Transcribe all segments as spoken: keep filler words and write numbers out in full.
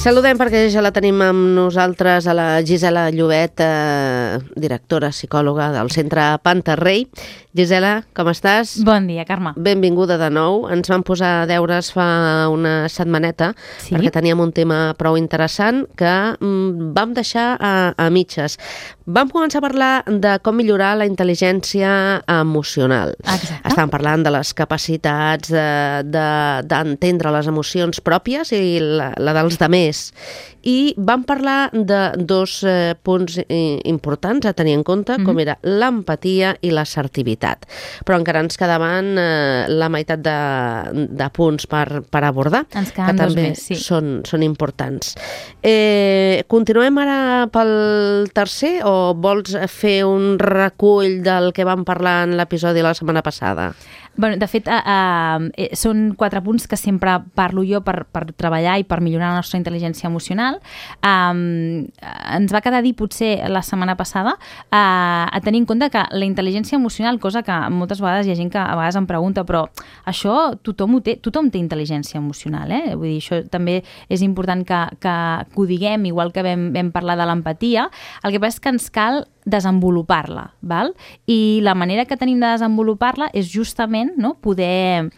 Saludem perquè ja la tenim amb nosaltres a la Gisela Llobet, eh, directora psicòloga del Centre Pantarrey. Gisela, com estàs? Bon dia, Carme. Benvinguda de nou. Ens vam posar deures fa una setmaneta sí? perquè teníem un tema prou interessant que mm, vam deixar a, a mitges. Vam començar a parlar de com millorar la intel·ligència emocional. Exacte. Estàvem parlant de les capacitats d'entendre de, de, les emocions pròpies i la, la dels demés. I vam parlar de dos eh, punts eh, importants a tenir en compte, mm-hmm. com era l'empatia i l'assertivitat. Però encara ens quedaven eh, la meitat de, de punts per, per abordar, ens que també més, sí. són, són importants. Eh, continuem ara pel tercer o vols fer un recull del que vam parlar en l'episodi la setmana passada? Bueno, de fet, uh, uh, són quatre punts que sempre parlo jo per, per treballar i per millorar la nostra intel·ligència emocional. Um, ens va quedar dir, potser, la setmana passada, uh, a tenir en compte que la intel·ligència emocional, cosa que moltes vegades hi ha gent que a vegades em pregunta, però això tothom ho té, tothom té intel·ligència emocional, eh? Vull dir, això també és important que, que, que ho diguem, igual que vam, vam parlar de l'empatia. El que passa és que ens cal desenvolupar-la, val? I la manera que tenim de desenvolupar-la és justament, no, poder,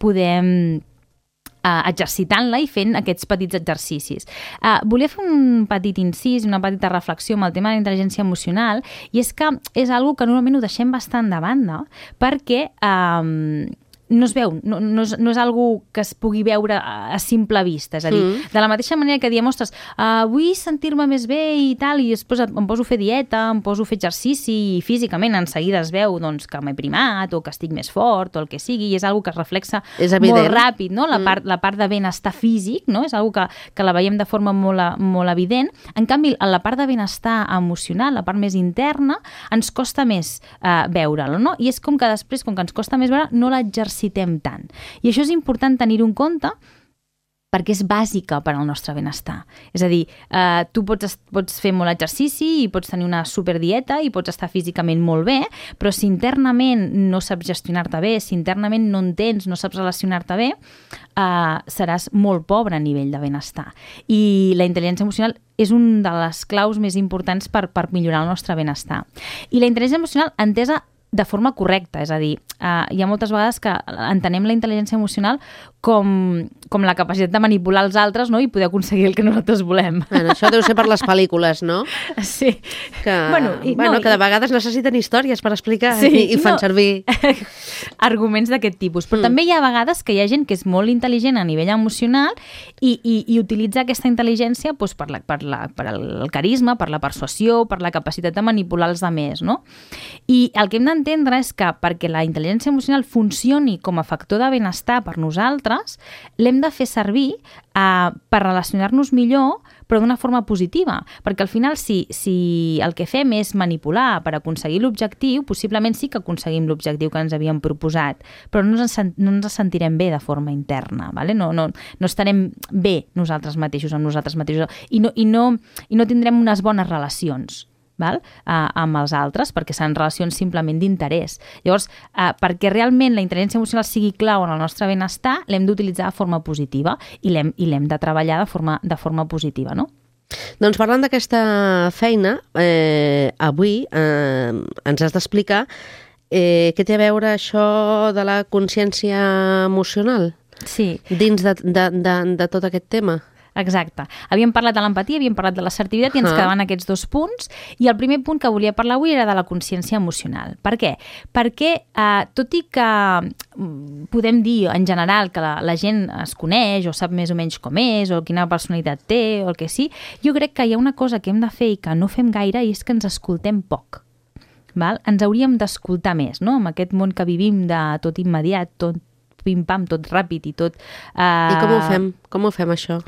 poder uh, exercitant-la i fent aquests petits exercicis. Uh, volia fer un petit incís, una petita reflexió amb el tema de la intel·ligència emocional, i és que és algo que normalment ho deixem bastant de banda perquè um, no es veu, no, no, és, no és algo que es pugui veure a, a simple vista. És a dir, mm. de la mateixa manera que diem, ostres, uh, vull sentir-me més bé i tal, i després em poso a fer dieta, em poso a fer exercici i físicament en seguida es veu doncs, que m'he primat o que estic més fort o el que sigui, i és algo que es reflexa molt ràpid, no? La, mm. part, la part de benestar físic, no? És algo que, que la veiem de forma molt, molt evident. En canvi, la part de benestar emocional, la part més interna, ens costa més uh, veure-la, no? I és com que després, com que ens costa més veure, no l'exercitem tant. I això és important tenir-ho en compte perquè és bàsica per al nostre benestar. És a dir, eh, tu pots, pots fer molt exercici i pots tenir una superdieta i pots estar físicament molt bé, però si internament no saps gestionar-te bé, si internament no entens, no saps relacionar-te bé, eh, seràs molt pobre a nivell de benestar. I la intel·ligència emocional és una de les claus més importants per, per millorar el nostre benestar. I la intel·ligència emocional entesa de forma correcta, és a dir, uh, hi ha moltes vegades que entenem la intel·ligència emocional com, com la capacitat de manipular els altres, no? I poder aconseguir el que nosaltres volem. Bueno, això deu ser per les pel·lícules, no? Sí. Que, bueno, i, bueno, no, que de vegades necessiten històries per explicar sí, i, i fan no, servir arguments d'aquest tipus. Però mm. també hi ha vegades que hi ha gent que és molt intel·ligent a nivell emocional i, i, i utilitza aquesta intel·ligència doncs, per, la, per, la, per el carisma, per la persuasió, per la capacitat de manipular els altres, no? I el que hem d'entendre és que perquè la intel·ligència emocional funcioni com a factor de benestar per nosaltres, l'hem de fer servir uh, per relacionar-nos millor, però d'una forma positiva, perquè al final si, si el que fem és manipular per aconseguir l'objectiu, possiblement sí que aconseguim l'objectiu que ens havíem proposat, però no ens, no ens sentirem bé de forma interna, ¿vale? no, no, no estarem bé nosaltres mateixos amb nosaltres mateixos i no, i no, i no tindrem unes bones relacions. Val? Uh, amb els altres, perquè seran relacions simplement d'interès. Llavors, uh, perquè realment la intel·ligència emocional sigui clau en el nostre benestar, l'hem d'utilitzar de forma positiva i l'hem, i l'hem de treballar de forma, de forma positiva, no? Doncs parlant d'aquesta feina, eh, avui eh, ens has d'explicar eh, què té a veure això de la consciència emocional sí. dins de, de, de, de tot aquest tema. Exacte. Havíem parlat de l'empatia, havíem parlat de l'assertivitat i ens quedaven aquests dos punts. I el primer punt que volia parlar avui era de la consciència emocional. Per què? Perquè, eh, tot i que podem dir en general que la, la gent es coneix o sap més o menys com és o quina personalitat té o el que sí, jo crec que hi ha una cosa que hem de fer i que no fem gaire i és que ens escoltem poc. Val? Ens hauríem d'escoltar més, no? En aquest món que vivim de tot immediat, tot pim-pam, tot ràpid i tot... Eh... I com ho fem? Com ho fem, això?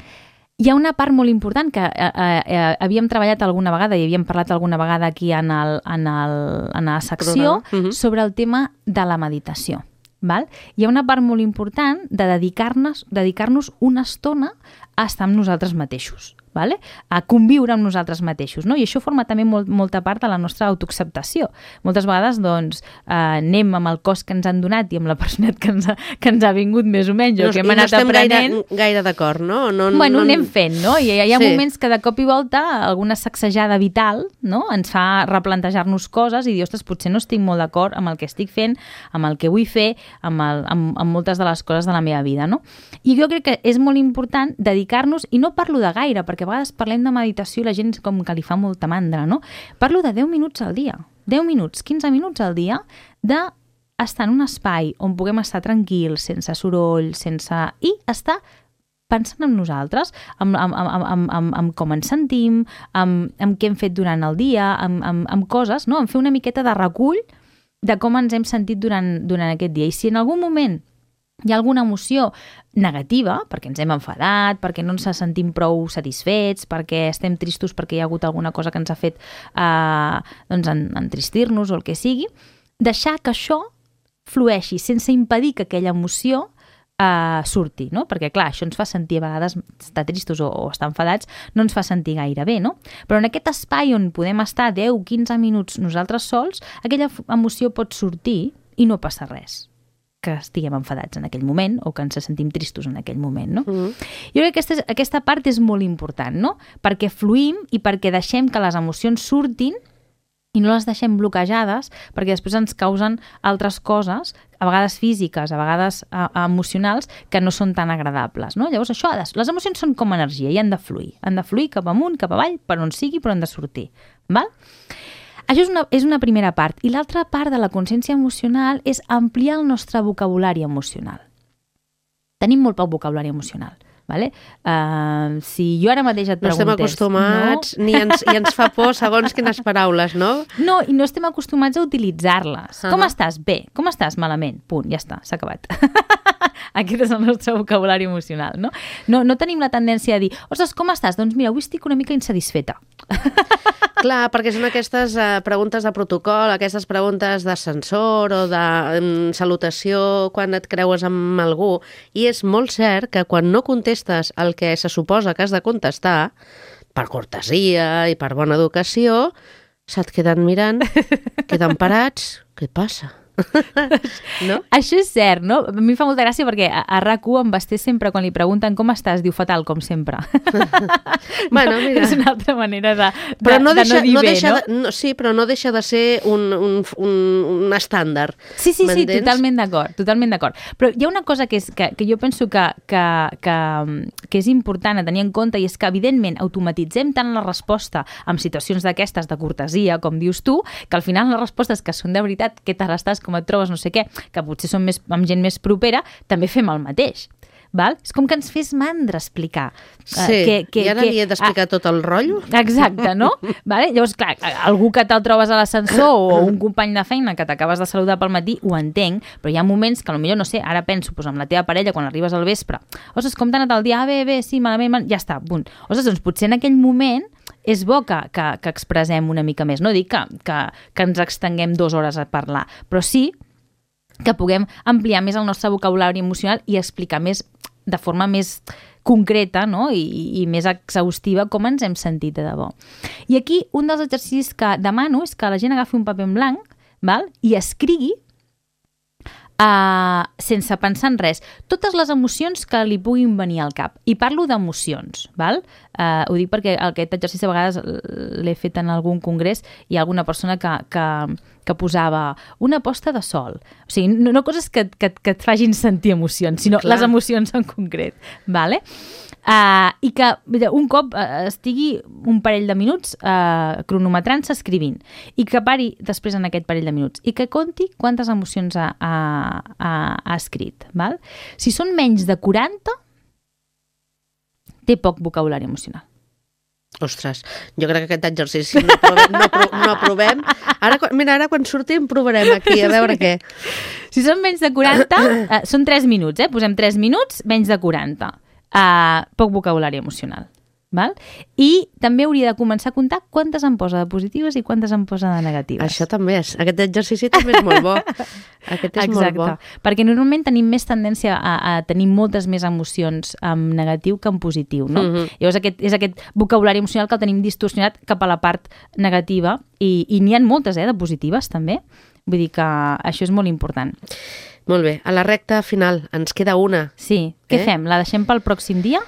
Hi ha una part molt important que eh, eh, havíem treballat alguna vegada i havíem parlat alguna vegada aquí en, el, en, el, en la secció uh-huh. sobre el tema de la meditació. Val? Hi ha una part molt important de dedicar-nos dedicar-nos una estona a estar amb nosaltres mateixos. vale? A conviure amb nosaltres mateixos, no? I això forma també molt, molta part de la nostra autoacceptació. Moltes vegades, doncs, eh, anem amb el cos que ens han donat i amb la personalitat que ens ha, que ens ha vingut més o menys, no, o que hem anat no aprenent. Gaire, gaire d'acord, no? no bueno, no, anem fent, no? I hi ha sí. moments que de cop i volta alguna sacsejada vital, no?, ens fa replantejar-nos coses i dir, ostres, potser no estic molt d'acord amb el que estic fent, amb el que vull fer, amb, el, amb, amb moltes de les coses de la meva vida, no? I jo crec que és molt important dedicar-nos, i no parlo de gaire, perquè a vegades parlem de meditació i la gent com que li fa molta mandra, no? Parlo de deu minuts al dia, deu minuts, quinze minuts al dia, d'estar en un espai on puguem estar tranquils, sense soroll, sense... i estar pensant en nosaltres, amb, amb, amb, amb, amb, amb com ens sentim, amb, amb què hem fet durant el dia, amb, amb, amb coses, no? Amb fer una miqueta de recull de com ens hem sentit durant, durant aquest dia. I si en algun moment hi ha alguna emoció negativa, perquè ens hem enfadat, perquè no ens sentim prou satisfets, perquè estem tristos perquè hi ha hagut alguna cosa que ens ha fet eh, doncs entristir-nos o el que sigui, deixar que això flueixi sense impedir que aquella emoció Uh, surti, no? Perquè, clar, això ens fa sentir a vegades estar tristos o, o estar enfadats, no ens fa sentir gaire bé, no? Però en aquest espai on podem estar deu a quinze minuts nosaltres sols, aquella emoció pot sortir i no passa res que estiguem enfadats en aquell moment o que ens sentim tristos en aquell moment, no? Mm. Jo crec que aquesta, aquesta part és molt important, no? Perquè fluïm i perquè deixem que les emocions surtin i no les deixem bloquejades perquè després ens causen altres coses, a vegades físiques, a vegades uh, emocionals, que no són tan agradables, no? Llavors això, les emocions són com energia i han de fluir, han de fluir cap amunt, cap avall, per on sigui, però han de sortir, val? Això és una, és una primera part. I l'altra part de la consciència emocional és ampliar el nostre vocabulari emocional. Tenim molt poc vocabulari emocional. Vale? Uh, si jo ara mateix et preguntés... No estem acostumats, no? ni ens, i ens fa por segons quines paraules, no? No, i no estem acostumats a utilitzar-les. Uh-huh. Com estàs? Bé. Com estàs? Malament. Punt, ja està, s'ha acabat. Aquest és el nostre vocabulari emocional, no? No, no tenim la tendència a dir, ostres, com estàs? Doncs mira, avui estic una mica insatisfeta. Clar, perquè són aquestes uh, preguntes de protocol, aquestes preguntes d'ascensor o de um, salutació quan et creues amb algú. I és molt cert que quan no contestes el que se suposa que has de contestar, per cortesia i per bona educació, se't queden mirant, queden parats, què passa? No? Això és cert, no? A mi fa molta gràcia perquè a, a R A C u em Basté sempre, quan li pregunten com estàs, diu fatal, com sempre. Bueno, mira. És una altra manera de, de, però no deixa, de no dir no bé, deixa no? De, no? Sí, però no deixa de ser un, un, un, un estàndard. Sí, sí, sí, totalment d'acord, totalment d'acord. Però hi ha una cosa que, és, que, que jo penso que, que, que, que és important a tenir en compte, i és que, evidentment, automatitzem tant la resposta en situacions d'aquestes de cortesia, com dius tu, que al final les respostes que són de veritat, què tal estàs, com et trobes, no sé què, que potser són més, amb gent més propera, també fem el mateix. Val? És com que ens fes mandra explicar. Sí, uh, que, que, i ara que, li he d'explicar uh, tot el rotllo. Exacte, no? Vale? Llavors, clar, algú que te'l trobes a l'ascensor o un company de feina que t'acabes de saludar pel matí, ho entenc, però hi ha moments que potser, no sé, ara penso pues, amb la teva parella quan arribes al vespre, ostres, com t'ha anat el dia? Ah, bé, bé, sí, malament, malament, ja està, punt. Ostres, doncs potser en aquell moment és bo que, que, que expressem una mica més. No dic que, que, que ens extenguem dues hores a parlar, però sí que puguem ampliar més el nostre vocabulari emocional i explicar més de forma més concreta, no? I, i més exhaustiva com ens hem sentit de debò. I aquí un dels exercicis que demano és que la gent agafi un paper en blanc, val? I escrigui Uh, sense pensar en res, totes les emocions que li puguin venir al cap. I parlo d'emocions, val? Uh, ho dic perquè aquest exercici a vegades l'he fet en algun congrés i hi ha alguna persona que, que, que posava una posta de sol. O sigui, no, no coses que, que, que et facin sentir emocions, sinó Clar. Les emocions en concret, vale? Uh, i que un cop uh, estigui un parell de minuts uh, cronometrant-se, escrivint, i que pari després en aquest parell de minuts i que conti quantes emocions ha, ha, ha, ha escrit. Val? Si són menys de quaranta, té poc vocabulari emocional. Ostres, jo crec que aquest exercici no provem. No, pro, no provem. Ara, mira, ara quan sortim provarem aquí, a veure què. Si són menys de quaranta, uh, són tres minuts, eh? Posem tres minuts, menys de quaranta. Uh, poc vocabulari emocional. Val? I també hauria de començar a comptar quantes em posa de positives i quantes em posa de negatives. Això també és. Aquest exercici també és molt bo. Aquest és Exacte. molt bo. Perquè normalment tenim més tendència a, a tenir moltes més emocions en negatiu que en positiu, no? Mhm. Llavors aquest, és aquest vocabulari emocional que el tenim distorsionat cap a la part negativa i, i n'hi ha moltes, eh, de positives també. Vull dir que això és molt important. Molt bé. A la recta final ens queda una. Sí. Què Eh? fem? La deixem pel pròxim dia?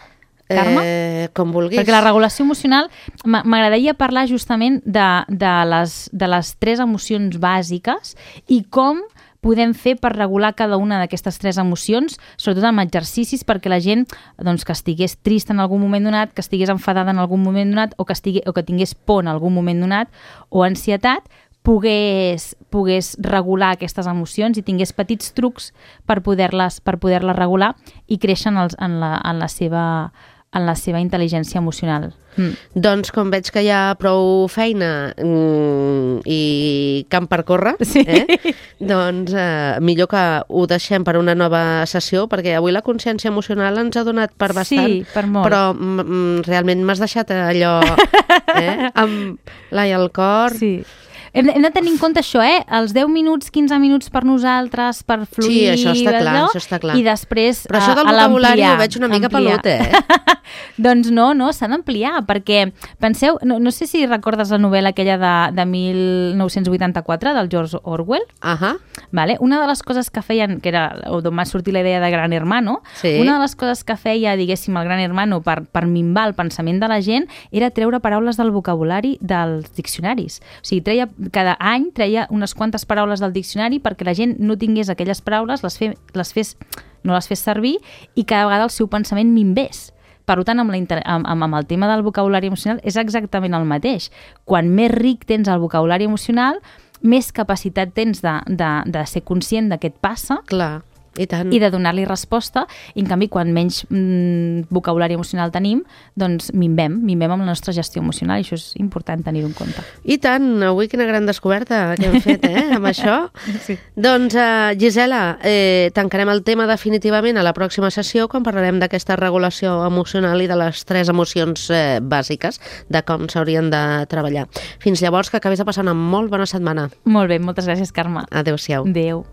Carme? Eh, com vulguis. Perquè la regulació emocional, m'a- m'agradaria parlar justament de, de, les, de les tres emocions bàsiques i com podem fer per regular cada una d'aquestes tres emocions, sobretot amb exercicis perquè la gent doncs, que estigués trista en algun moment donat, que estigués enfadada en algun moment donat o que, estigui, o que tingués por en algun moment donat o ansietat, pogués, pogués regular aquestes emocions i tingués petits trucs per poder-les per poder-les regular i créixer en, els, en, la, en, la seva, en la seva intel·ligència emocional. Mm. Doncs com veig que hi ha prou feina mm, i camp per córrer, Sí. eh? doncs eh, millor que ho deixem per una nova sessió, perquè avui la consciència emocional ens ha donat per bastant. Sí, per molt. Però mm, realment m'has deixat allò eh? amb l'ai al cor. Sí. Hem de, hem de tenir en compte això, eh? Els deu minuts, quinze minuts per nosaltres, per fluir... Sí, això està clar, allò, això està clar. I després Però això del a, a vocabulari l'ampliar, ho veig una mica ampliar. pelut, eh? Doncs no, no, s'ha d'ampliar, perquè penseu, no, no sé si recordes la novel·la aquella de, de mil nou-cents vuitanta-quatre, del George Orwell, Ahà. vale? Una de les coses que feien, que era d'on va sortir la idea de Gran Hermano, Sí. una de les coses que feia, diguéssim, el Gran Hermano per, per minvar el pensament de la gent era treure paraules del vocabulari dels diccionaris. O sigui, treia, cada any treia unes quantes paraules del diccionari perquè la gent no tingués aquelles paraules, les, fe, les fes, no les fes servir i cada vegada el seu pensament minvés. Per tant, amb, la inter... amb, amb el tema del vocabulari emocional és exactament el mateix. Quan més ric tens el vocabulari emocional, més capacitat tens de, de, de ser conscient de què et passa Clar, i tant. i de donar-li resposta, i en canvi quan menys mm, vocabulari emocional tenim, doncs minvem, minvem amb la nostra gestió emocional i això és important tenir-ho en compte. I tant, avui quina gran descoberta que hem fet, eh, amb això. Sí. Doncs, uh, Gisela, eh, tancarem el tema definitivament a la pròxima sessió quan parlarem d'aquesta regulació emocional i de les tres emocions eh, bàsiques, de com s'haurien de treballar. Fins llavors, que acabis de passar una molt bona setmana. Molt bé, moltes gràcies, Carme. Adéu-siau. Adéu.